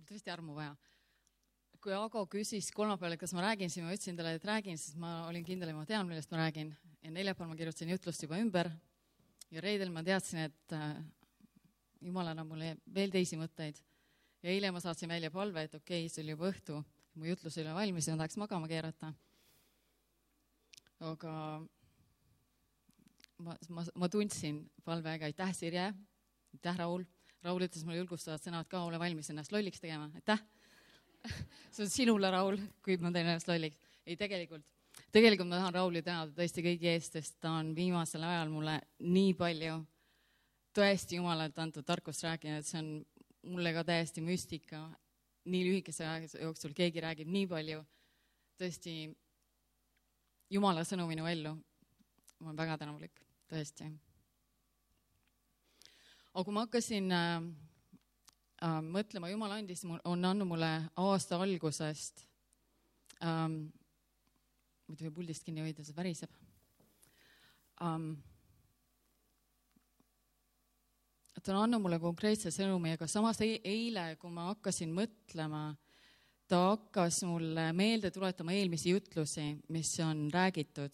tõesti armu vaja. Kui Ago küsis kolmapäeval, kas ma räägin, siis ma ütlesin talle, et räägin, sest ma olin kindel, et ma tean, millest ma räägin. Ja neljapäeval ma kirjutasin jutlust juba ümber ja reedel ma teadsin, et Jumal annab mulle veel teisi mõtteid. Ja eile ma saatsin välja palve, et okei, see oli juba õhtu, mu jutlus oli valmis ja ma tahaks magama keerata. Aga ma tundsin palvega, aitäh Sirje, aitäh Raul. Raul ütles mulle julgustavad sõnad ka, ole valmis ennast lolliks tegema. Aitäh! See on sinule, Raul, kui ma teen ennast lolliks. Ei, tegelikult ma tahan Rauli tänada tõesti kõigi eest, sest ta on viimasel ajal mulle nii palju tõesti Jumalalt antud tarkust rääkinud, et see on mulle ka täiesti müstika. Nii lühikese aja jooksul keegi räägib nii palju tõesti Jumala sõnu minu ellu. Ma olen väga tänulik, tõesti. Aga kui ma hakkasin mõtlema, Jumal andis, on andnud mulle aasta algusest, muidu või puldist kinni hoida, see väriseb. Et on andnud mulle konkreetse sõnumi, aga samas eile, kui ma hakkasin mõtlema, ta hakkas mulle meelde tuletama eelmisi jutlusi, mis on räägitud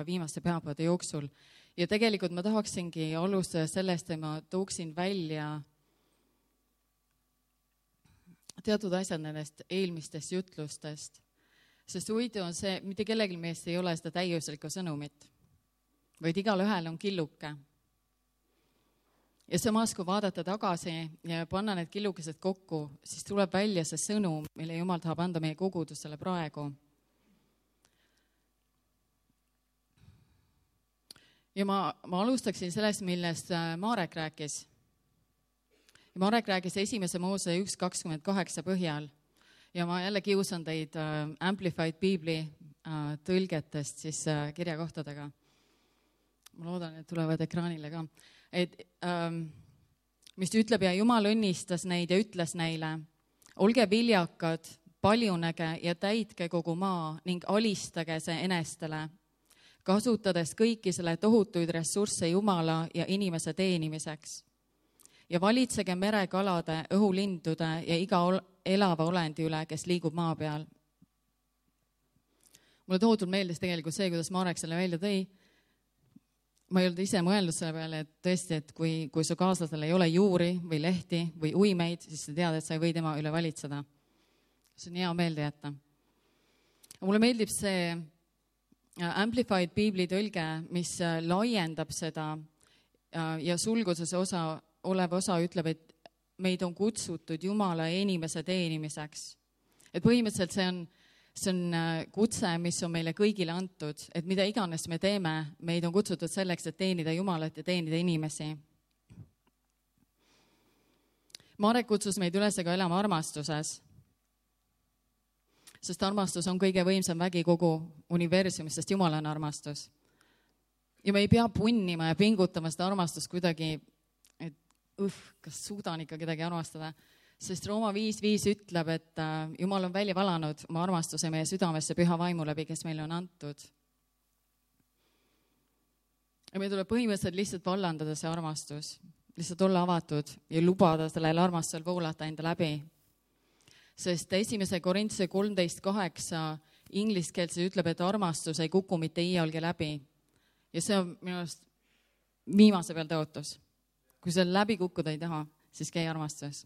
viimaste pühapäevade jooksul. Ja tegelikult ma tahaksingi alustada sellest, et ma tooksin välja teatud asjad nendest eelmistest jutlustest. Sest huvitav on see, mitte kellelgi meist ei ole seda täiuslikku sõnumit, vaid igal ühel on killuke. Ja samas, kui vaadata tagasi ja panna need killukesed kokku, siis tuleb välja see sõnum, mille Jumal tahab anda meie kogudusele praegu. Ja ma alustaksin sellest, millest Marek rääkis. Ja Marek rääkis 1. Moose 1.28 põhjal. Ja ma jälle kiusan teid Amplified Biibli tõlgetest siis kirjakohtadega. Ma loodan, et tulevad ekraanile ka. Mis ütleb, ja Jumal õnnistas neid ja ütles neile, olge viljakad, paljunege ja täitke kogu maa ning alistage see enestele, kasutades kõiki selle tohutuid ressursse Jumala ja inimese teenimiseks. Ja valitsege merekalade, õhulindude ja iga elava olendi üle, kes liigub maa peal. Mulle tohutult meeldis tegelikult see, kuidas Marek selle välja tõi. Ma ei olnud ise mõelnud selle peale, et tõesti, et kui su kaaslasel ei ole juuri või lehti või uimeid, siis sa tead, et sa ei või tema üle valitseda. See on hea meelde jätta. Mulle meeldib see Amplified Biibli tõlge, mis laiendab seda ja sulguses olev osa ütleb, et meid on kutsutud Jumala ja inimese teenimiseks. Et põhimõtteliselt see on kutse, mis on meile kõigile antud, et mida iganes me teeme, meid on kutsutud selleks, et teenida Jumalat ja teenida inimesi. Marek kutsus meid üles ka elama armastuses, sest armastus on kõige võimsam vägi kogu universumis, sest Jumal on armastus. Ja me ei pea punnima ja pingutama seda armastust kuidagi, et kas suudan ikka kedagi armastada. Sest Rooma 5.5 ütleb, et Jumal on välja valanud oma armastuse meie südamesse püha vaimu läbi, kes meile on antud. Ja meil tuleb põhimõtteliselt lihtsalt vallandada see armastus, lihtsalt olla avatud ja lubada sellel armastusel voolata enda läbi. Sest 1. Korintuse 13.8 ingliskeelse ütleb, et armastus ei kuku mitte iialgi läbi. Ja see on minu arust viimase peal tõotus. Kui seal läbi kukkuda ei taha, siis käi armastuses.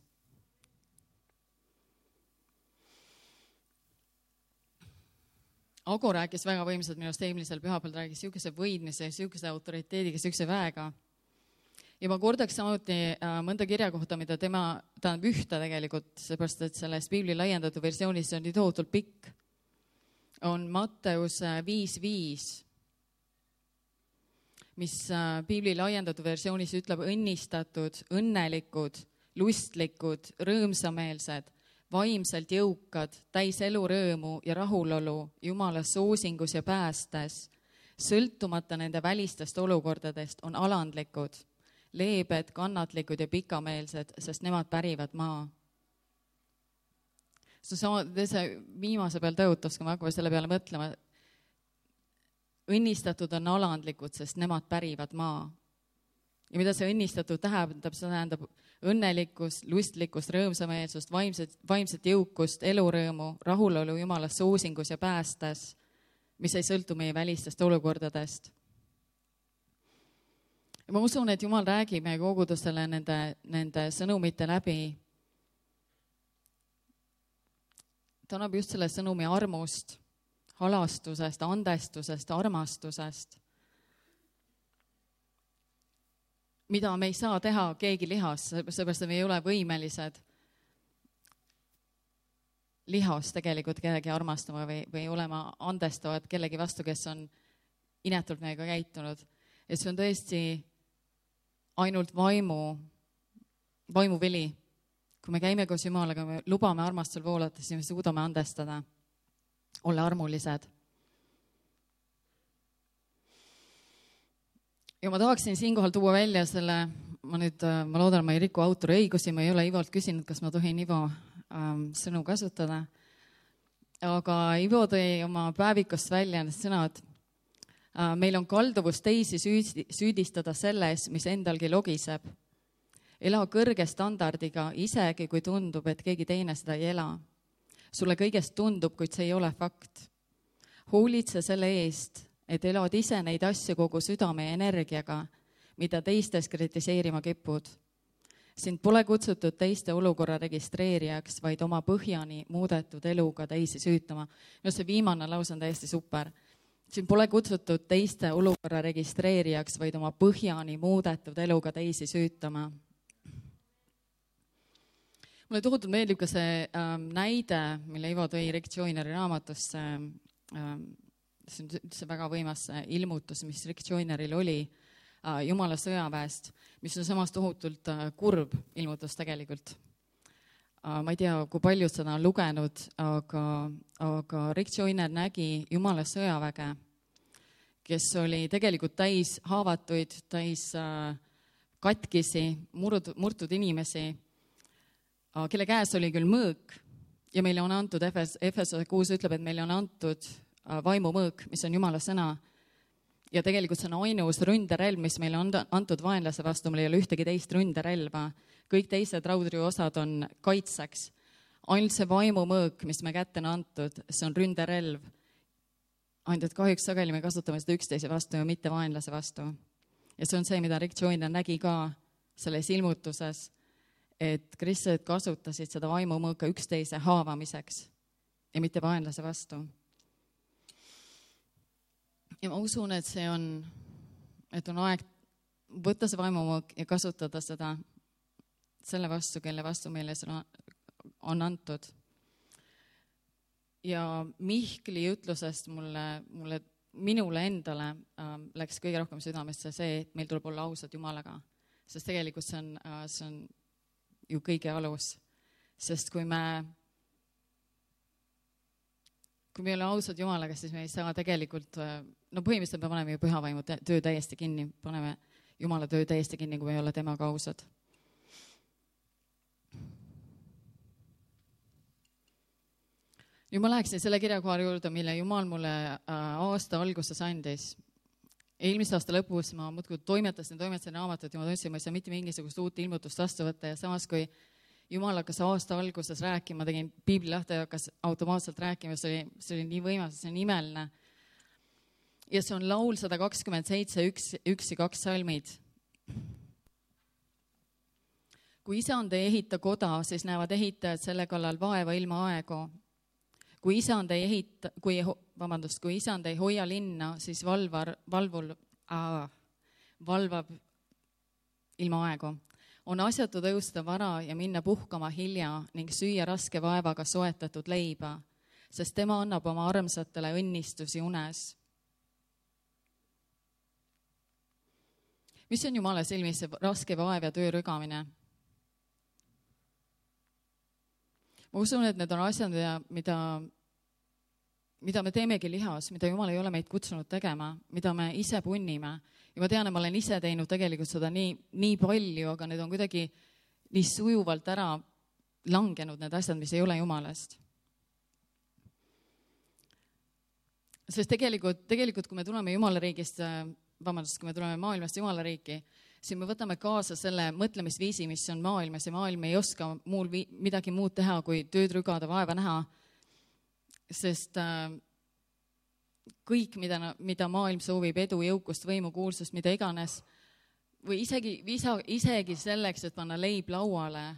Ago rääkis väga võimsalt minust eelmisel pühapäeval, rääkis siukese võidmise, siukese autoriteediga, siukese väega. Ja ma kordaks samuti mõnda kirja kohta, mida tema tähendab ühte tegelikult, seepärast, et selles Biibli laiendatud versioonis on nii tohutult pikk. On Matteus 5.5, mis Biibli laiendatud versioonis ütleb õnnistatud, õnnelikud, lustlikud, rõõmsameelsed, vaimselt jõukad, täis elurõõmu ja rahulolu, Jumala soosingus ja päästes, sõltumata nende välistest olukordadest, on alandlikud, leebed, kannatlikud ja pikameelsed, sest nemad pärivad maa. See viimase peal tõotas, kui me hakkame selle peale mõtlema, õnnistatud on alandlikud, sest nemad pärivad maa. Ja mida see õnnistatud tähendab, see tähendab õnnelikkust, lustlikkust, rõõmsameelsust, vaimset jõukust, elurõõmu, rahulolu Jumalas soosingus ja päästes, mis ei sõltu meie välistest olukordadest. Ja ma usun, et Jumal räägib meie kogudusele nende sõnumite läbi. Ta annab just selle sõnumi armust, halastusest, andestusest, armastusest, mida me ei saa teha keegi lihas, seepärast me ei ole võimelised lihas tegelikult kellegi armastama või olema andestavad kellegi vastu, kes on inetult meiega käitunud. Ja see on tõesti ainult vaimuvili. Kui me käime koos Jumalaga, me lubame armastusel voolata, siis me suudame andestada, olla armulised. Ja ma tahaksin siinkohal tuua välja selle, ma loodan, ma ei riku autori õigusi, ma ei ole Ivolt küsinud, kas ma tohin Ivo sõnu kasutada. Aga Ivo tõi oma päevikust välja need sõnad. Meil on kalduvus teisi süüdistada selles, mis endalgi logiseb. Ela kõrge standardiga, isegi kui tundub, et keegi teine seda ei ela. Sulle kõigest tundub, kuid see ei ole fakt. Hoolitse selle eest, et elad ise neid asju kogu südame ja energiaga, mida teistes kritiseerima kipud. Sind pole kutsutud teiste olukorra registreerijaks, vaid oma põhjani muudetud eluga teisi süütama. No see viimane lause on täiesti super. Sind pole kutsutud teiste olukorra registreerijaks, vaid oma põhjani muudetud eluga teisi süütama. Mulle tohutult meeldib ka see näide, mille Ivo tõi Rick Joyneri raamatusse. See on üldse väga võimas ilmutus, mis Rick Joyneril oli Jumala sõjaväest, mis on samas tohutult kurb ilmutus tegelikult. Ma ei tea, kui paljud seda on lugenud, aga Rick Joyner nägi Jumala sõjaväge, kes oli tegelikult täis haavatuid, täis katkisi, murtud inimesi, kelle käes oli küll mõõk ja meile on antud, Efesose 6 ütleb, et meile on antud vaimumõõk, mis on Jumala sõna. Ja tegelikult see on ainus ründerelv, mis meile on antud vaenlase vastu, meil ei ole ühtegi teist ründerelva. Kõik teised raudriosad on kaitseks. Ainult see vaimumõõk, mis me kätte on antud, see on ründerelv. Ainult, et kahjuks sageli me kasutame seda üksteise vastu ja mitte vaenlase vastu. Ja see on see, mida Rick Joyner nägi ka selles ilmutuses, et kristlased kasutasid seda vaimumõõka üksteise haavamiseks ja mitte vaenlase vastu. Ja ma usun, et on aeg võtta see vaimumõõk ja kasutada seda selle vastu, kelle vastu meile seda on antud. Ja Mihkli ütlusest minule endale läks kõige rohkem südamesse see, et meil tuleb olla ausad Jumalaga. Sest tegelikult see on ju kõige alus. Sest kui me ei ole ausad Jumalaga, siis me ei saa tegelikult, põhimõtteliselt me paneme ju pühavaimu töö täiesti kinni, paneme Jumala töö täiesti kinni, kui me ei ole temaga ausad. Ja ma läheksin selle kirjakohari juurde, mille Jumal mulle aasta alguses andis. Eelmise aasta lõpus ma muudkui toimetasin raamatut ja ma tundsin, ma ei saa mitte mingisugust uut ilmutust vastu võtta ja samas kui Jumal hakkas aasta alguses rääkima, tegin piibli lahti ja hakkas automaatselt rääkima, see oli nii võimas, see on imeline. Ja see on laul 127, 1 ja 2 salmid. Kui isand ei ehita koda, siis näevad ehitajad selle kallal vaeva ilma aegu. Kui isand ei hoia linna, siis valvab ilma aegu. On asjatu tõusta vara ja minna puhkama hilja ning süüa raske vaevaga soetatud leiba, sest tema annab oma armsatele õnnistusi unes. Mis on Jumala silmis see raske vaev ja töö rügamine? Ma usun, et need on asjad, mida me teemegi lihas, mida Jumal ei ole meid kutsunud tegema, mida me ise punnime. Ja ma tean, et ma olen ise teinud tegelikult seda nii palju, aga need on kuidagi nii sujuvalt ära langenud need asjad, mis ei ole Jumalast. Sest tegelikult, kui me tuleme Jumala riigist, kui me tuleme maailmast Jumala riiki, siis me võtame kaasa selle mõtlemisviisi, mis on maailmas ja maailm ei oska midagi muud teha, kui tööd rügada, vaeva näha. Sest kõik, mida maailm soovib, edu, jõukust, võimu, kuulsust, mida iganes, või isegi selleks, et panna leib lauale,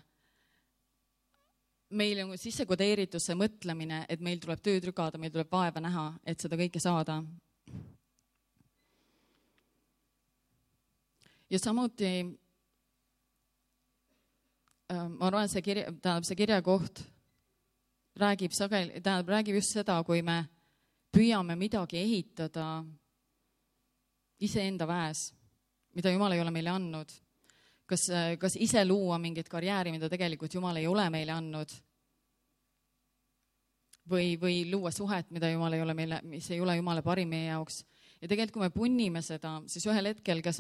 meil on sisse kodeeritud see mõtlemine, et meil tuleb tööd rügada, meil tuleb vaeva näha, et seda kõike saada. Ja samuti ma arvan, see kirjakoht räägib just seda, kui me püüame midagi ehitada iseenda väes, mida Jumal ei ole meile andnud. Kas ise luua mingit karjääri, mida tegelikult Jumal ei ole meile andnud, või luua suhet, mis ei ole Jumale parim meie jaoks. Ja tegelikult, kui me punnime seda, siis ühel hetkel, kas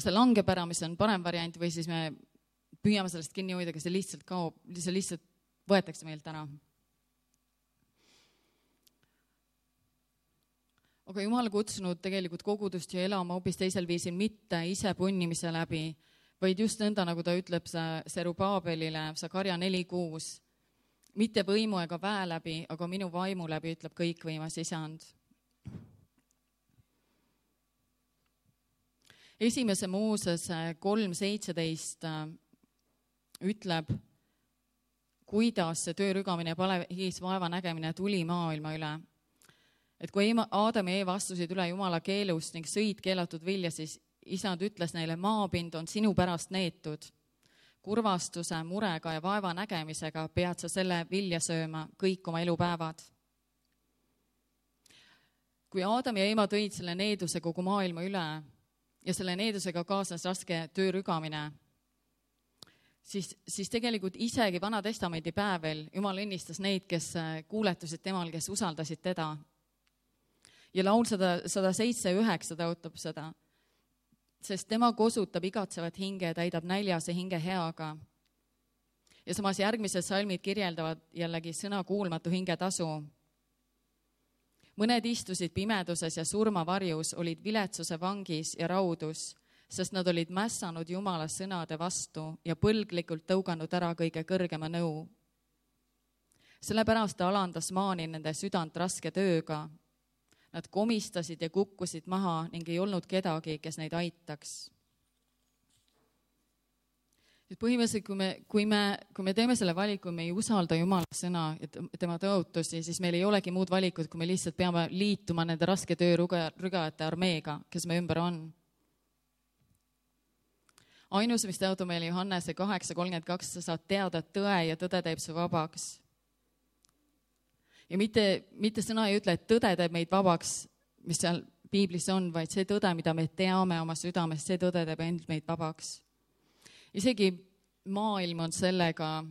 see langeb ära, mis on parem variant, või siis me püüame sellest kinni hoida, kas see lihtsalt kaob, see lihtsalt võetakse meilt ära. Aga Jumal kutsunud tegelikult kogudust ja elama hoopis teisel viisil, mitte ise punnimise läbi, vaid just nõnda, nagu ta ütleb Serubaabelile, Sakarja 4:6, mitte võimu ega väe läbi, aga minu vaimu läbi, ütleb kõikvõimas Isand. Esimese Moosese 3:17 ütleb, kuidas see töö rügamine ja palehigis vaeva nägemine tuli maailma üle. Et kui Aadam ja Eeva astusid üle Jumala keelust ning sõid keelatud vilja, siis Isand ütles neile, maapind on sinu pärast neetud. Kurvastuse, murega ja vaeva nägemisega pead sa selle vilja sööma kõik oma elupäevad. Kui Aadam ja Eeva tõid selle needuse kogu maailma üle ja selle needusega kaasnes raske töö rügamine, siis tegelikult isegi Vana Testamendi päevel Jumal õnnistas neid, kes kuuletusid temal, kes usaldasid teda. Ja laul 107:9 tõotab seda, sest tema kosutab igatsevat hinge ja täidab näljase hinge heaga. Ja samas järgmised salmid kirjeldavad jällegi sõna kuulmatu hinge tasu. Mõned istusid pimeduses ja surmavarjus, olid viletsuse vangis ja raudus, sest nad olid mässanud Jumala sõnade vastu ja põlglikult tõuganud ära kõige kõrgema nõu. Sellepärast ta alandas maani nende südant raske tööga. Nad komistasid ja kukkusid maha ning ei olnud kedagi, kes neid aitaks. Põhimõtteliselt, kui me teeme selle valiku, me ei usalda Jumala sõna ja tema tõotusi, siis meil ei olegi muud valikut, kui me lihtsalt peame liituma nende raske töö rügajate armeega, kes me ümber on. Ainus, mis tõotab meile Johannese 8:32, sa saad teada tõe ja tõde teeb su vabaks. Ja mitte sõna ei ütle, et tõde teeb meid vabaks, mis seal Piiblis on, vaid see tõde, mida me teame oma südames, see tõde teeb end meid vabaks. Isegi maailm on sellega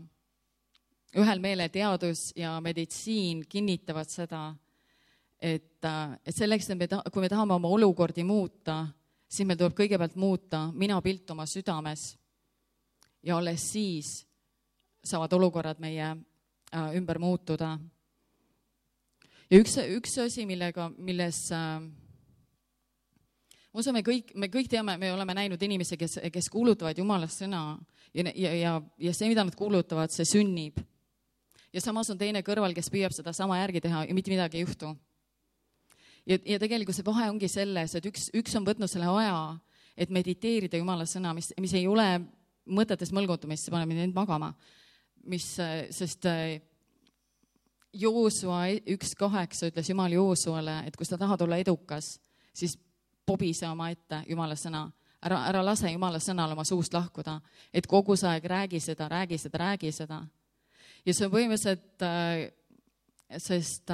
ühel meele, teadus ja meditsiin kinnitavad seda, et selleks, kui me tahame oma olukordi muuta, siis meil tuleb kõigepealt muuta minapilt oma südames ja alles siis saavad olukorrad meie ümber muutuda. Ja üks asi, milles usume me kõik teame, me oleme näinud inimesi, kes kuulutavad Jumala sõna ja see, mida nad kuulutavad, see sünnib. Ja samas on teine kõrval, kes püüab seda sama järgi teha ja mitte midagi ei juhtu. Ja tegelikult see vahe ongi selles, et üks on võtnud selle aja, et mediteerida Jumala sõna, mis ei ole mõtetes mõlgutumist, see paneb mind magama. Sest Joosua 1:8 ütles Jumal Joosuale, et kui sa tahad olla edukas, siis pobise oma ette Jumala sõna. Ära lase Jumala sõnal oma suust lahkuda, et kogu see aeg räägi seda. Ja see on põhimõtteliselt, sest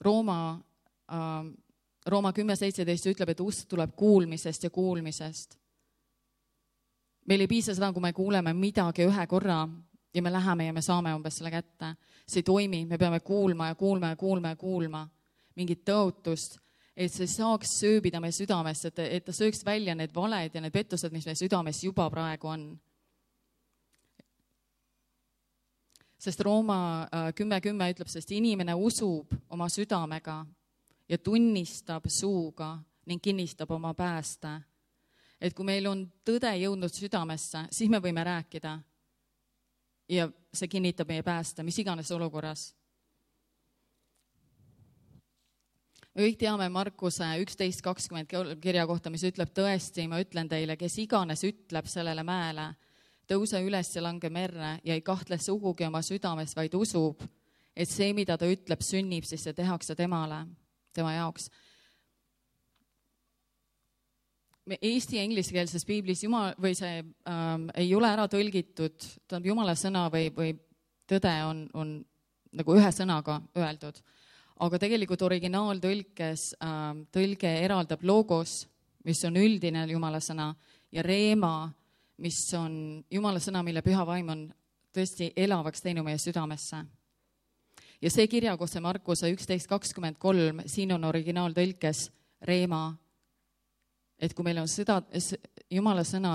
Rooma 10:17 ütleb, et usk tuleb kuulmisest ja kuulmisest. Meil ei piisa seda, kui me kuuleme midagi ühe korra ja me läheme ja me saame umbes selle kätte. See ei toimi, me peame kuulma mingit tõotust, et see saaks sööbida meie südamest, et ta sööks välja need valed ja need pettused, mis meie südames juba praegu on. Sest Rooma 10:10 ütleb, sest inimene usub oma südamega ja tunnistab suuga, ning kinnistab oma pääste. Et kui meil on tõde jõudnud südamesse, siis me võime rääkida ja see kinnitab meie pääste, mis iganes olukorras. Me kõik teame Markuse 11.20 kirja kohta, mis ütleb tõesti, ma ütlen teile, kes iganes ütleb sellele mäele, tõuse üles ja lange merre ja ei kahtle sugugi oma südames, vaid usub, et see, mida ta ütleb, sünnib, siis see tehakse temale, tema jaoks. Eesti ja ingliskeelses piiblis ei ole ära tõlgitud, Jumala sõna või tõde on nagu ühe sõnaga öeldud, aga tegelikult originaaltõlkes tõlge eraldab logos, mis on üldine Jumala sõna, ja reema, mis on Jumala sõna, mille püha vaim on tõesti elavaks teinud meie südamesse. Ja see kirjakohse Markuse 11.23, siin on originaaltõlkes reema, et kui meil on Jumala sõna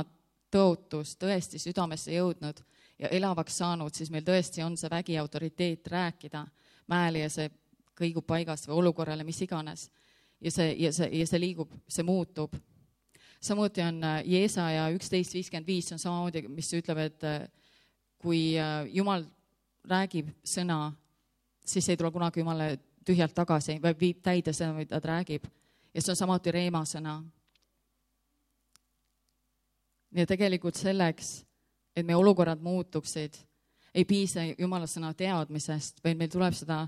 tõotus tõesti südamesse jõudnud ja elavaks saanud, siis meil tõesti on see vägi autoriteet rääkida mäele ja see kõigub paigast või olukorrale, mis iganes. Ja see liigub, see muutub. Samuti on Jeesaja 11.55, on samamoodi, mis ütleb, et kui Jumal räägib sõna, siis ei tule kunagi Jumale tühjalt tagasi, vaid viib täide seda, mida ta räägib. Ja see on samuti reema sõna. Ja tegelikult selleks, et meie olukorrad muutuksid, ei piisa Jumala sõna teadmisest, vaid meil tuleb seda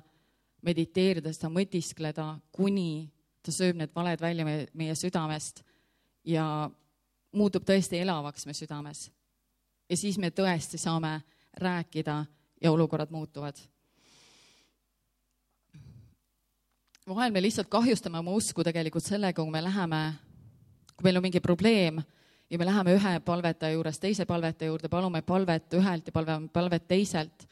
mediteerida, seda mõtiskleda, kuni ta sööb need valed välja meie südamest ja muutub tõesti elavaks meie südames. Ja siis me tõesti saame rääkida ja olukorrad muutuvad. Vahel me lihtsalt kahjustame oma usku tegelikult sellega, kui meil on mingi probleem, ja me läheme ühe palvetaja juures teise palvetaja juurde, palume palvet ühelt ja palvet teiselt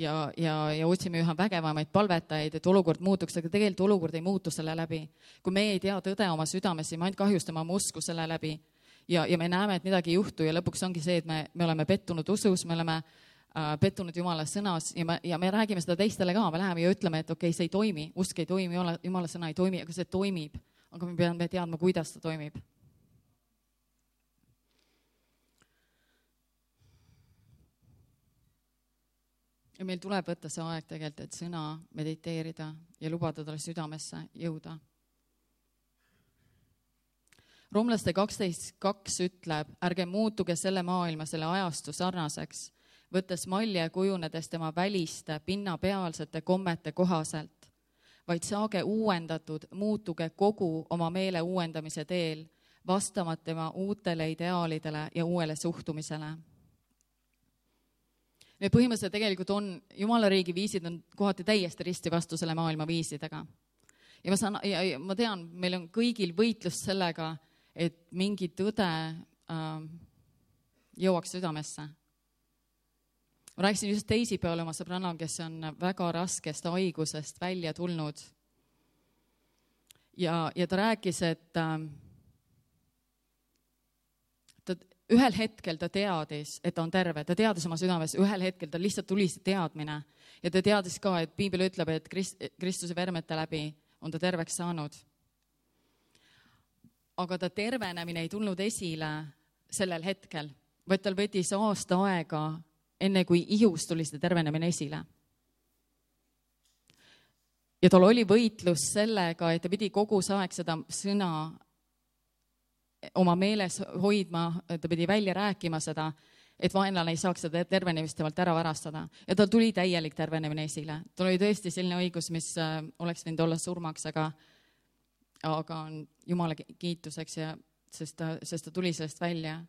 ja otsime üha vägevamaid palvetajaid, et olukord muutuks, aga tegelikult olukord ei muutu selle läbi. Kui me ei tea tõde oma südames, siis me ainult kahjustame oma usku selle läbi ja me näeme, et midagi ei juhtu ja lõpuks ongi see, et me oleme pettunud usus, me oleme pettunud Jumala sõnas ja me räägime seda teistele ka, me läheme ja ütleme, et okei, see ei toimi, usk ei toimi, Jumala sõna ei toimi, aga see toimib, aga me peame teadma, kuidas ta toimib. Ja meil tuleb võtta see aeg tegelikult, et sõna mediteerida ja lubada talle südamesse jõuda. Roomlaste 12.2 ütleb, ärge muutuge selle maailma, selle ajastu sarnaseks, võttes malje kujunedes tema väliste, pinnapealsete kommete kohaselt, vaid saage uuendatud, muutuge kogu oma meele uuendamise teel, vastamat tema uutele ideaalidele ja uuele suhtumisele. Need põhimõtteliselt tegelikult on, Jumala riigi viisid on kohati täiesti risti vastu selle maailma viisidega. Ja ma tean, meil on kõigil võitlus sellega, et mingi tõde jõuaks südamesse. Ma rääkisin just teisipäeval oma sõbrana, kes on väga raskest haigusest välja tulnud. Ja ta rääkis, et ühel hetkel ta teadis, et ta on terve, ta teadis oma südames, ühel hetkel ta lihtsalt tuli see teadmine ja ta teadis ka, et Piibel ütleb, et Kristuse vermete läbi on ta terveks saanud. Aga ta tervenemine ei tulnud esile sellel hetkel, vaid tal võttis aasta aega, enne kui ihus tuli seda tervenemine esile. Ja tal oli võitlus sellega, et ta pidi kogu aeg seda sõna oma meeles hoidma, ta pidi välja rääkima seda, et vaenlane ei saaks seda tervenemist temalt ära varastada. Ja tal tuli täielik tervenemine esile. Tal oli tõesti selline õigus, mis oleks võinud olla surmaks, aga on Jumala kiituseks, sest ta tuli sellest välja.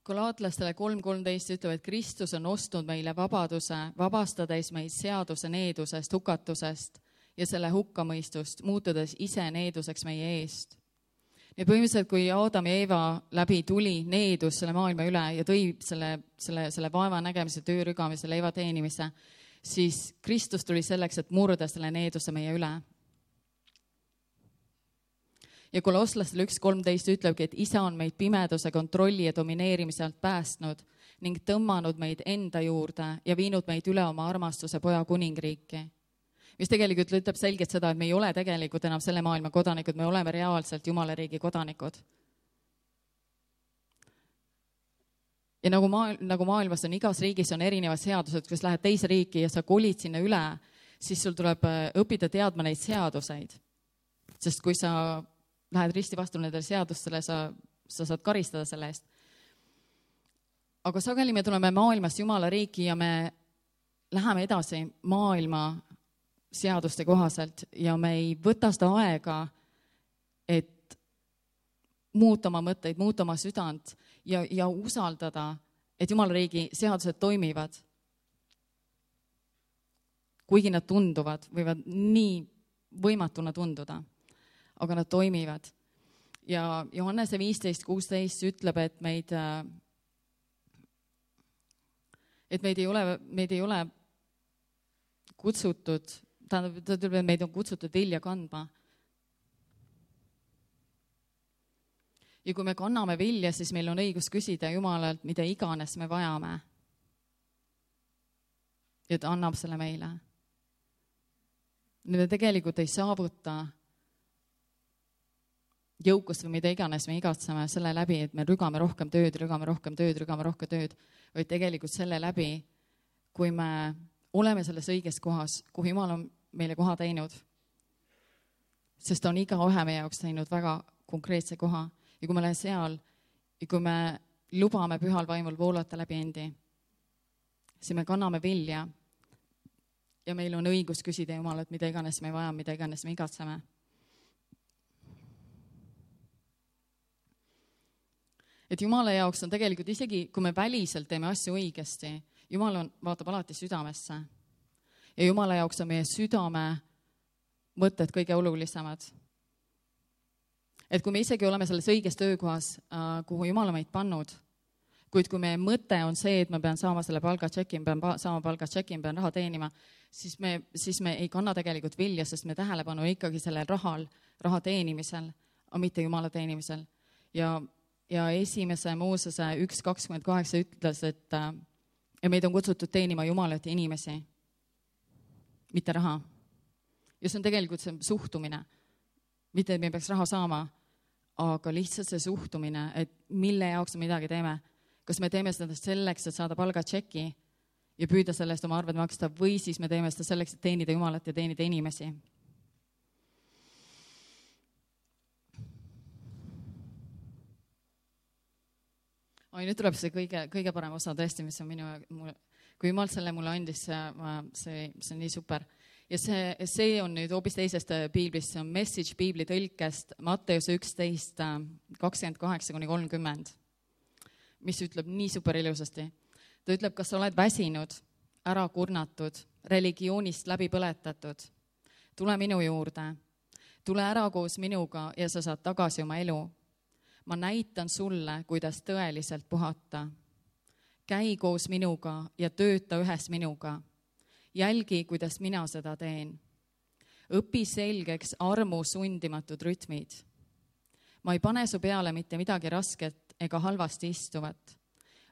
Galaatlastele 3.13 ütleb, et Kristus on ostnud meile vabaduse, vabastades meid seaduse needusest, hukatusest ja selle hukkamõistust, muutudes ise needuseks meie eest. Ja põhimõtteliselt, kui Aadam ja Eeva läbi tuli needus selle maailma üle ja tõi selle vaeva nägemise, töörügamise, leiva teenimise, siis Kristus tuli selleks, et murda selle needuse meie üle. Ja Kolosslastele 1.13 ütlebki, et isa on meid pimeduse kontrolli ja domineerimise alt päästnud ning tõmmanud meid enda juurde ja viinud meid üle oma armastuse poja kuningriiki. Mis tegelikult ütleb selgelt seda, et me ei ole tegelikult enam selle maailma kodanikud, me oleme reaalselt Jumala riigi kodanikud. Ja nagu maailmas on, igas riigis on erinevad seadused, kus lähed teise riiki ja sa kolid sinna üle, siis sul tuleb õppida teadma neid seaduseid. Sest kui sa lähed risti vastu nendele seadustele, sa saad karistada selle eest. Aga sageli me tuleme maailmast Jumala riiki ja me läheme edasi maailma seaduste kohaselt ja me ei võta seda aega, et muuta oma mõtteid, muuta oma südant ja usaldada, et Jumala riigi seadused toimivad. Kuigi nad tunduvad, võivad nii võimatuna tunduda, aga nad toimivad. Ja Johannese 15:16 ütleb, et meid ei ole kutsutud, ta ütleb, et meid on kutsutud vilja kandma. Ja kui me kanname vilja, siis meil on õigus küsida Jumalalt, mida iganes me vajame. Ja ta annab selle meile. Me tegelikult ei saavuta jõukust või mida iganes me igatseme selle läbi, et me rügame rohkem tööd, vaid tegelikult selle läbi, kui me oleme selles õiges kohas, kuhu Jumal on meile koha teinud. Sest ta on igaühe meie jaoks teinud väga konkreetse koha. Ja kui me oleme seal ja kui me lubame pühal vaimul voolata läbi endi, siis me kanname vilja ja meil on õigus küsida Jumalat, mida iganes me vajame, mida iganes me igatseme. Et Jumala jaoks on tegelikult isegi, kui me väliselt teeme asju õigesti, Jumal vaatab alati südamesse. Ja Jumala jaoks on meie südame mõtted kõige olulisemad. Et kui me isegi oleme selles õiges töökohas, kuhu Jumal on meid pannud, kuid kui meie mõte on see, et ma pean saama selle palgatšeki, ma pean raha teenima, siis me ei kanna tegelikult vilja, sest me tähelepanu ikkagi sellel raha teenimisel, aga mitte Jumala teenimisel. Ja esimese Moosese 1:28 ütles, et meid on kutsutud teenima Jumalat ja inimesi, mitte raha. Ja see on tegelikult see suhtumine. Mitte, et me peaks raha saama, aga lihtsalt see suhtumine, et mille jaoks me midagi teeme. Kas me teeme seda selleks, et saada palgatšeki ja püüda sellest oma arved maksta, või siis me teeme seda selleks, et teenida Jumalat ja teenida inimesi. Nüüd tuleb see kõige parem osa tõesti, mis on kui Jumal selle mulle andis, see on nii super. Ja see on nüüd hoopis teisest piiblist, see on Message piibli tõlkest Matteuse 11:28-30, mis ütleb nii super ilusasti. Ta ütleb, kas sa oled väsinud, ära kurnatud, religioonist läbi põletatud. Tule minu juurde, tule ära koos minuga ja sa saad tagasi oma elu. Ma näitan sulle, kuidas tõeliselt puhata. Käi koos minuga ja tööta ühes minuga. Jälgi, kuidas mina seda teen. Õpi selgeks armu sundimatud rütmid. Ma ei pane su peale mitte midagi rasket ega halvasti istuvat.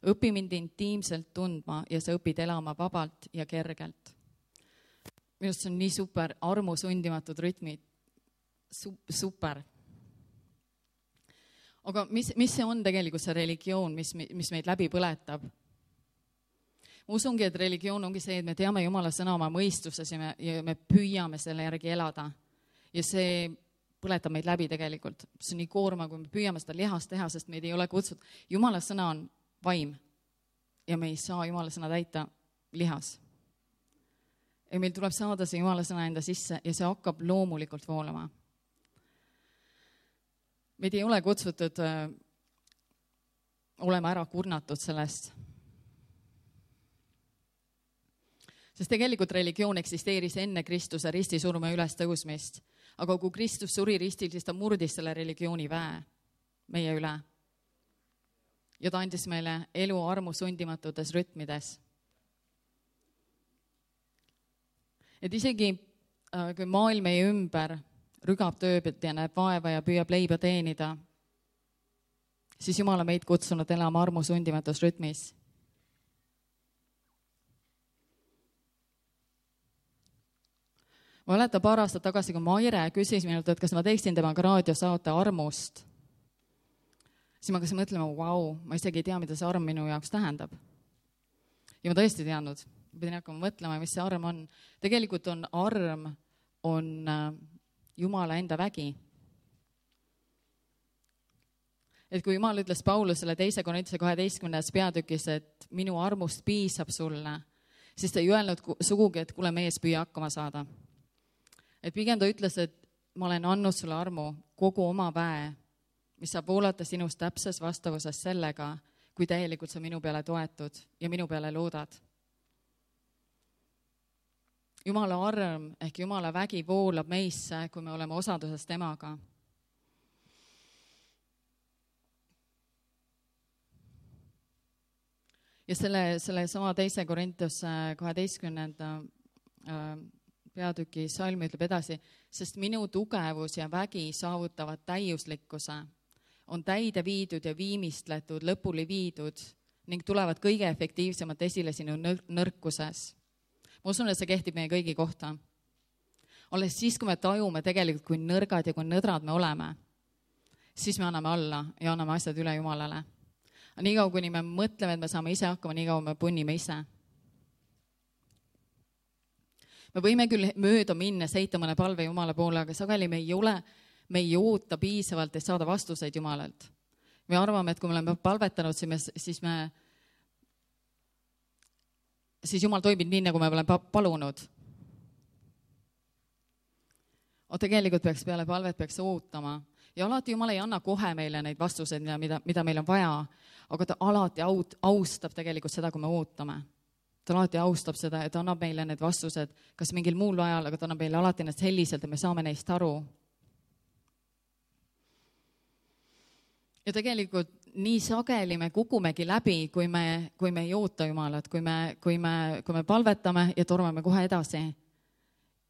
Õpi mind intiimselt tundma ja sa õpid elama vabalt ja kergelt. Minust on nii super, armu sundimatud rütmid. Super. Aga mis see on tegelikult see religioon, mis meid läbi põletab? Ma usungi, et religioon ongi see, et me teame Jumala sõna oma mõistuses ja me püüame selle järgi elada. Ja see põletab meid läbi tegelikult. See on nii koorma, kui me püüame seda lihast teha, sest meid ei ole kutsutud. Jumala sõna on vaim ja me ei saa Jumala sõna täita lihas. Ja meil tuleb saada see Jumala sõna enda sisse ja see hakkab loomulikult voolama. Meid ei ole kutsutud olema ära kurnatud sellest. Sest tegelikult religioon eksisteeris enne Kristuse ristisurma üles tõusmist. Aga kui Kristus suri ristil, siis ta murdis selle religiooni väe meie üle. Ja ta andis meile elu armu sundimatutes rütmides. Et isegi kui maailm meie ümber rügab tööd ja näeb vaeva ja püüab leiba teenida, siis Jumal on meid kutsunud elama armu sundimatus rütmis. Ma mäletan paar aastat tagasi, kui Maire küsis minult, et kas ma teeksin temaga raadiosaate armust, siis ma hakkasin mõtlema, vau, ma isegi ei tea, mida see arm minu jaoks tähendab. Ja ma tõesti teadnud, pidin hakkama mõtlema, mis see arm on. Tegelikult on arm Jumala enda vägi. Et kui Jumal ütles Paulusele 2. Korintuse 12. peatükis, et minu armust piisab sulle, siis ta ei öelnud sugugi, et kuule, mees püüa hakkama saada. Et pigem ta ütles, et ma olen andnud sulle armu kogu oma väe, mis saab voolata sinust täpses vastavuses sellega, kui täielikult sa minu peale toetud ja minu peale loodad. Jumala arm ehk Jumala vägi voolab meisse, kui me oleme osaduses temaga. Ja selle sama 2. Korintuse 12. peatüki salm ütleb edasi, sest minu tugevus ja vägi saavutavad täiuslikkuse, on täide viidud ja viimistletud, lõpuli viidud ning tulevad kõige efektiivsemalt esile sinu nõrkuses. Ma usun, et see kehtib meie kõigi kohta. Alles siis, kui me tajume tegelikult, kui nõrgad ja kui nõdrad me oleme, siis me anname alla ja anname asjad üle Jumalale. Nii kaua, kuni me mõtleme, et me saame ise hakkama, nii kaua me punnime ise. Me võime küll mööda minna, seita mõne palve Jumala poole, aga sageli me ei oota piisavalt, et saada vastuseid Jumalalt. Me arvame, et kui me oleme palvetanud, siis Jumal toimib nii, nagu me oleme palunud. Tegelikult peaks peale palvet ootama. Ja alati Jumal ei anna kohe meile neid vastuseid, mida meil on vaja, aga ta alati austab tegelikult seda, kui me ootame. Ta alati austab seda, et annab meile need vastused, kas mingil muul ajal, aga ta annab meile alati need selliselt, et me saame neist aru. Ja tegelikult nii sageli me kukumegi läbi, kui me ei oota Jumalat, kui me palvetame ja tormame kohe edasi.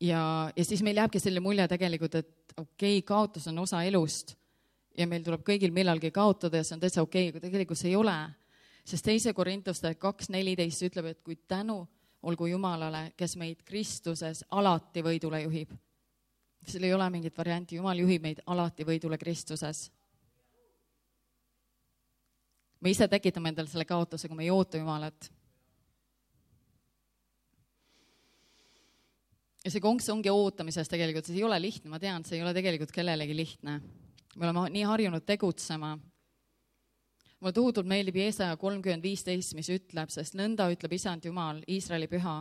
Ja siis meil jääbki selle mulje tegelikult, et okei, kaotus on osa elust ja meil tuleb kõigil millalgi kaotada ja see on täitsa okei, aga tegelikult see ei ole. Sest 2. Korintuste 2.14 ütleb, et kui tänu olgu Jumalale, kes meid Kristuses alati võidule juhib. Seal ei ole mingit varianti, Jumal juhib meid alati võidule Kristuses. Me ise tekitame endale selle kaotuse, kui me ei oota Jumalat. Ja see konks ongi ootamises tegelikult, see ei ole lihtne, ma tean, see ei ole tegelikult kellelegi lihtne. Me oleme nii harjunud tegutsema. Mulle tohutult meeldib Jeesaja 30.15, mis ütleb, sest nõnda ütleb Isand Jumal, Iisraeli püha,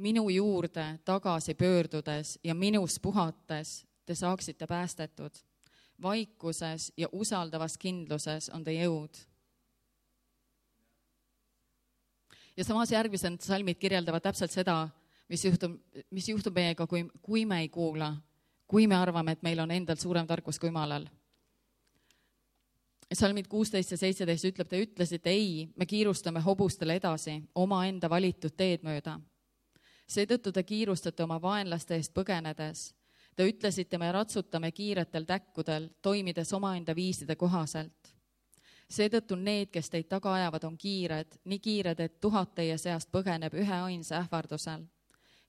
minu juurde tagasi pöördudes ja minus puhates te saaksite päästetud. Vaikuses ja usaldavas kindluses on te jõud. Ja samas järgmised salmid kirjeldavad täpselt seda, mis juhtub meiega, kui me ei kuula, kui me arvame, et meil on endal suurem tarkus kui Jumalal. Salmid 16 ja 17 ütleb, te ütlesite ei, me kiirustame hobustele edasi, oma enda valitud teed mööda. Seetõttu te kiirustate oma vaenlaste eest põgenedes. Te ütlesite, me ratsutame kiiretel täkkudel, toimides omaenda viiside kohaselt. Seetõttu need, kes teid taga ajavad, on kiired, nii kiired, et 1000 teie seast põgeneb ühe ainsa ähvardusel.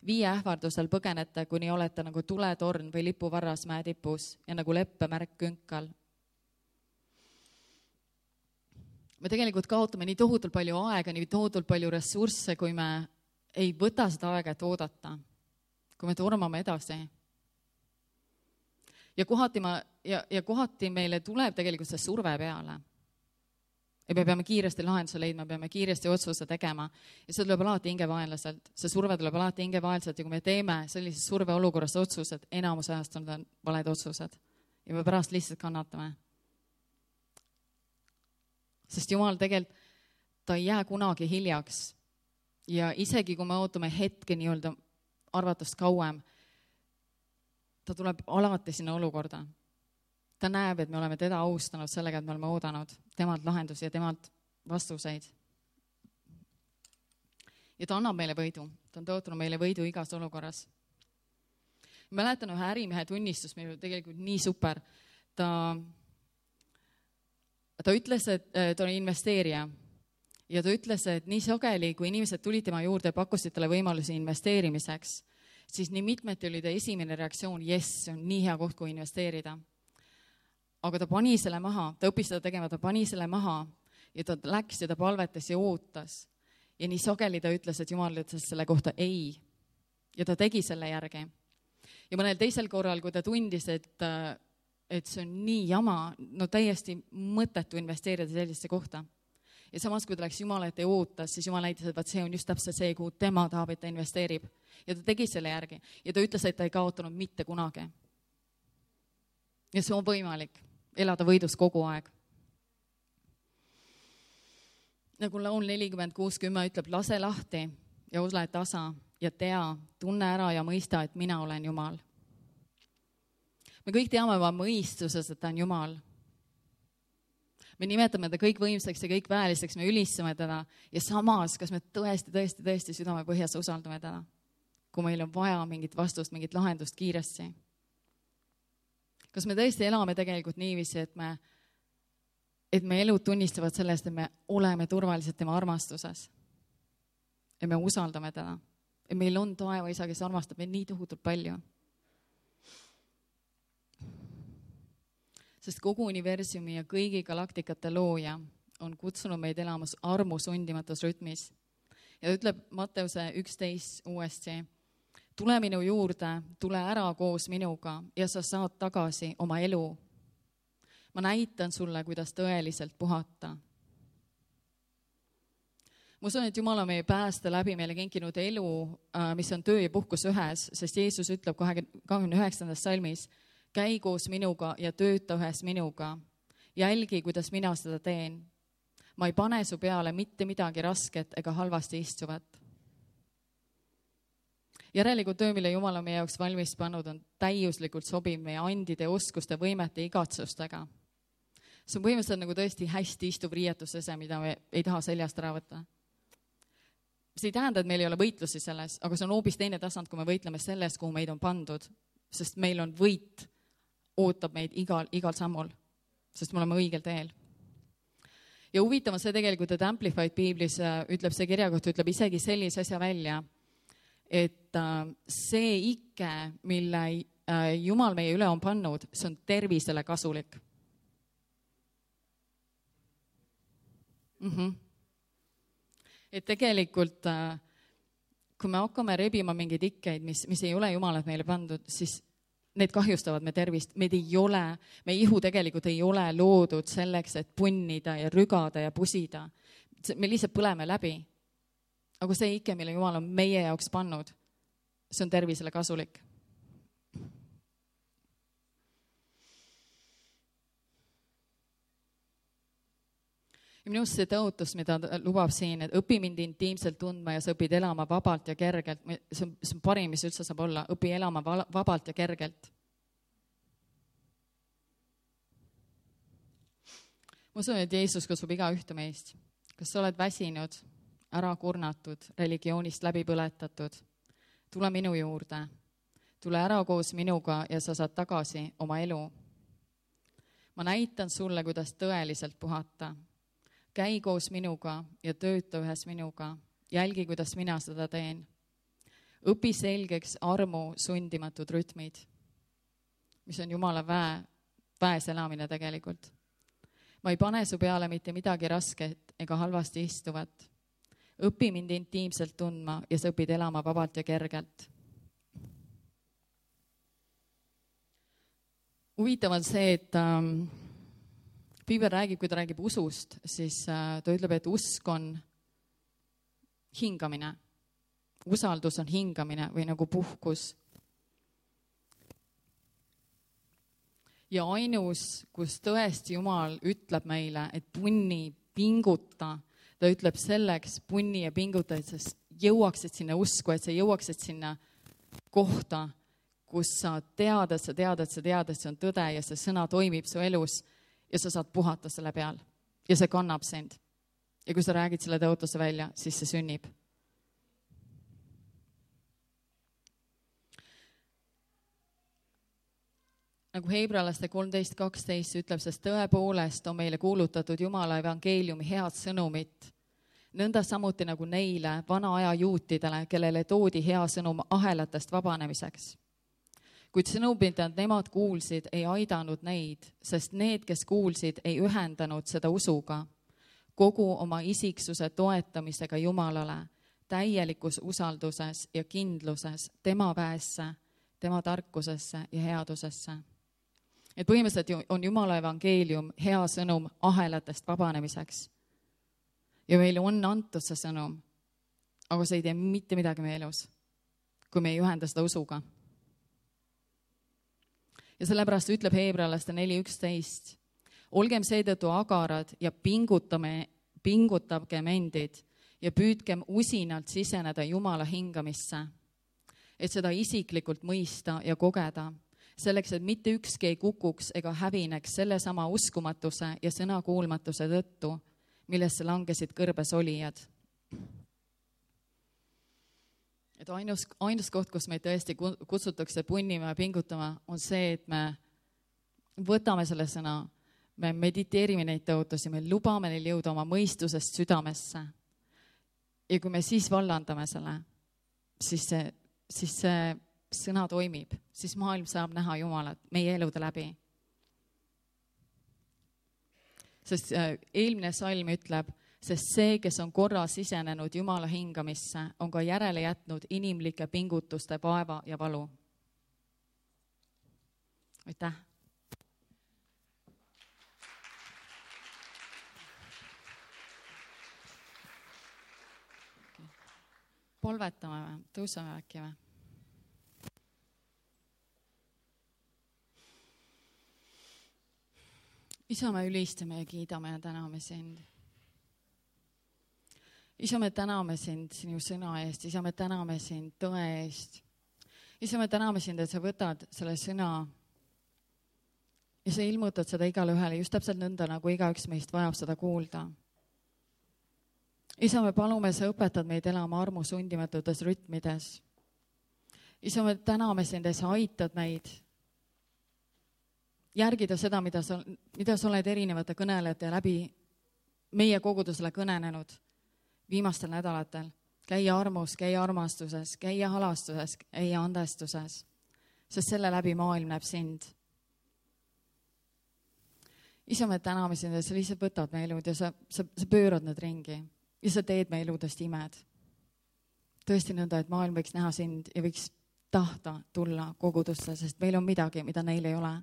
5 ähvardusel põgenete, kuni olete nagu tuletorn või lipuvarras mäetipus ja nagu leppemärk künkal. Me tegelikult kaotame nii tohutult palju aega, nii tohutult palju ressursse, kui me ei võta seda aega, et oodata, kui me tormame edasi. Ja kohati meile tuleb tegelikult see surve peale. Ja me peame kiiresti lahenduse leidma, peame kiiresti otsuse tegema. Ja see tuleb alati hingevaenlaselt. See surve tuleb alati hingevaenlaselt ja kui me teeme sellises surveolukorras otsused, enamus ajast on valed otsused. Ja me pärast lihtsalt kannatame. Sest Jumal tegelikult, ta ei jää kunagi hiljaks. Ja isegi kui me ootame hetke nii-öelda arvatust kauem, ta tuleb alati sinna olukorda. Ta näeb, et me oleme teda austanud sellega, et me oleme oodanud temalt lahendusi ja temalt vastuseid. Ja ta annab meile võidu. Ta on tõotanud meile võidu igas olukorras. Mäletan ühe ärimehe tunnistus, meil oli tegelikult nii super. Ta ütles, et ta on investeerija. Ja ta ütles, et nii sageli, kui inimesed tulid tema juurde, pakkusid talle võimalusi investeerimiseks. siis nii mitmeti oli ta esimene reaktsioon, jess, see on nii hea koht, kui investeerida. Aga ta pani selle maha, ta õppis seda tegema, ta pani selle maha ja ta läks ja ta palvetas ja ootas. Ja nii sageli ta ütles, et Jumal ütles selle kohta ei. Ja ta tegi selle järgi. Ja mõnel teisel korral, kui ta tundis, et see on nii jama, no täiesti mõttetu investeerida sellisesse kohta. Ja samas, kui ta läks Jumala ette ja ootas, siis Jumal näitas, et vaat see on just täpselt see, kuhu tema tahab, et ta investeerib. Ja ta tegi selle järgi. Ja ta ütles, et ta ei kaotanud mitte kunagi. Ja see on võimalik elada võidus kogu aeg. Nagu laul 40:6 ütleb, lase lahti ja ole tasa ja tea, tunne ära ja mõista, et mina olen Jumal. Me kõik teame oma mõistuses, et ta on Jumal. Me nimetame ta kõik võimsaks ja kõik väeliseks, me ülistame teda ja samas, kas me tõesti südame põhjas usaldame teda, kui meil on vaja mingit vastust, mingit lahendust kiiresti. Kas me tõesti elame tegelikult niiviisi, et me elud tunnistavad sellest, et me oleme turvalised tema armastuses ja me usaldame teda. Ja meil on taeva isa, kes armastab meid nii tohutult palju. Sest kogu universumi ja kõigi galaktikate looja on kutsunud meid elamas armu sundimatus rütmis. Ja ütleb Matteuse 11 uuesti, tule minu juurde, tule ära koos minuga ja sa saad tagasi oma elu. Ma näitan sulle, kuidas tõeliselt puhata. Ma usun, et Jumal on meie pääste läbi meile kinkinud elu, mis on töö ja puhkus ühes, sest Jeesus ütleb 29. salmis, käi koos minuga ja tööta ühes minuga. Jälgi, kuidas mina seda teen. Ma ei pane su peale mitte midagi rasket ega halvasti istuvat. Järelikult töö, mille Jumal on meie jaoks valmis pannud, on täiuslikult sobiv meie andide, oskuste, võimete, igatsustega. See on põhimõtteliselt nagu tõesti hästi istuv riietusese, mida me ei taha seljast ära võtta. See ei tähenda, et meil ei ole võitlusi selles, aga see on hoopis teine tasand, kui me võitleme selles, kuhu meid on pandud, sest meil on võit, ootab meid igal sammul, sest me oleme õigel teel. Ja huvitav on see tegelikult, et Amplified Biblis ütleb see kirja kohta, ütleb isegi sellise asja välja, et see ikke, mille Jumal meie üle on pannud, see on tervisele kasulik. Et tegelikult, kui me hakkame rebima mingeid ikkeid, mis ei ole Jumalat meile pandud, siis need kahjustavad me tervist. Meie ihu tegelikult ei ole loodud selleks, et punnida ja rügada ja pusida. Me lihtsalt põleme läbi. Aga see ikke, mille Jumal on meie jaoks pannud, see on tervisele kasulik. Ja minust see tõotus, mida lubab siin, et õpi mind intiimselt tundma ja sa õpid elama vabalt ja kergelt. See on parim, mis üldse saab olla. Õpi elama vabalt ja kergelt. Ma usun, et Jeesus kutsub iga ühte meist. Kas sa oled väsinud, ära kurnatud, religioonist läbi põletatud? Tule minu juurde. Tule ära koos minuga ja sa saad tagasi oma elu. Ma näitan sulle, kuidas tõeliselt puhata. Käi koos minuga ja tööta ühes minuga. Jälgi, kuidas mina seda teen. Õpi selgeks armu sundimatud rütmid, mis on Jumala väes elamine tegelikult. Ma ei pane su peale mitte midagi rasket ega halvasti istuvat. Õpi mind intiimselt tundma ja sa õpid elama vabalt ja kergelt. Huvitav on see, et Piibel räägib, kui ta räägib usust, siis ta ütleb, et usk on hingamine. Usaldus on hingamine või nagu puhkus. Ja ainus, kus tõesti Jumal ütleb meile, et punni, pinguta, ta ütleb selleks punni ja pinguta, et sa jõuaksid sinna usku, et sa jõuaksid sinna kohta, kus sa tead, et see on tõde ja see sõna toimib su elus, ja sa saad puhata selle peal ja see kannab sind. Ja kui sa räägid selle tõotuse välja, siis see sünnib. Nagu Hebralaste 13:12 ütleb, sest tõepoolest on meile kuulutatud Jumala evangeeliumi head sõnumit. nõnda samuti nagu neile vana aja juutidele, kellele toodi hea sõnum ahelatest vabanemiseks. Kuid sõnum, mida nemad kuulsid, ei aidanud neid, sest need, kes kuulsid, ei ühendanud seda usuga, kogu oma isiksuse toetamisega Jumalale, täielikus usalduses ja kindluses tema väesse, tema tarkusesse ja headusesse. Et põhimõtteliselt on Jumala evangeelium hea sõnum ahelatest vabanemiseks. Ja meile on antud see sõnum, aga see ei tee mitte midagi meie elus, kui me ei ühenda seda usuga. Ja sellepärast ütleb Heebrealaste 4.11, olgem seetõttu agarad ja pingutagem endid ja püüdkem usinalt siseneda Jumala hingamisse, et seda isiklikult mõista ja kogeda, selleks, et mitte ükski ei kukuks ega hävineks sellesama uskumatuse ja sõnakuulmatuse tõttu, millesse langesid kõrbes olijad. Et ainus koht, kus meid tõesti kutsutakse punnima ja pingutama, on see, et me võtame selle sõna, me mediteerime neid tõotusi, me lubame neil jõuda oma mõistusest südamesse. Ja kui me siis vallandame selle, siis see sõna toimib, siis maailm saab näha Jumalat meie elude läbi. Sest eelmine salm ütleb, sest see, kes on korra sisenenud Jumala hingamisse, on ka järele jätnud inimlike pingutuste vaeva ja valu. Aitäh! Palvetame või? Tõusame äkki või? Isa, me ülistame ja kiidame ja täname sind. Isa, me täname sind sinu sõna eest. Isa, me täname sind tõe eest. Isa, me täname sind, et sa võtad selle sõna ja sa ilmutad seda igale ühele just täpselt nõnda, nagu igaüks meist vajab seda kuulda. Isa, me palume, sa õpetad meid elama armu sundimatutes rütmides. Isa, me täname sind, et sa aitad meid järgida seda, mida sa oled erinevate kõnelejate läbi meie kogudusele kõnenenud viimastel nädalatel. Käia armus, käia armastuses, käia halastuses, käia andestuses, sest selle läbi maailm näeb sind. Isa, me täname sind, et sa lihtsalt võtad meie elud ja sa pöörad need ringi ja sa teed meie eludest imed. Tõesti nõnda, et maailm võiks näha sind ja võiks tahta tulla kogudusse, sest meil on midagi, mida neil ei ole.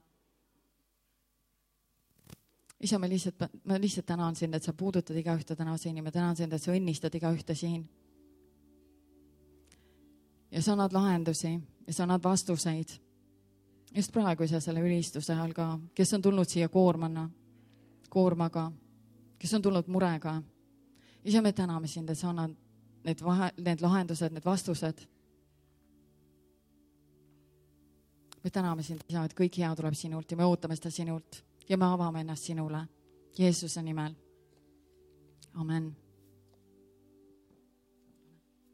Isa, ma lihtsalt tänan sind, et sa puudutad iga ühte täna siin ja ma tänan sind, et sa õnnistad iga ühte siin. Ja sa annad lahendusi ja sa annad vastuseid. Just praegu isa selle ülistuse all ka, kes on tulnud siia koormaga, kes on tulnud murega. Isa, me täname sind, et sa annad need lahendused, need vastused. Me täname sind, isa, et kõik hea tuleb sinult ja me ootame seda sinult. Ja me avame ennast sinule Jeesuse nimel. Amen.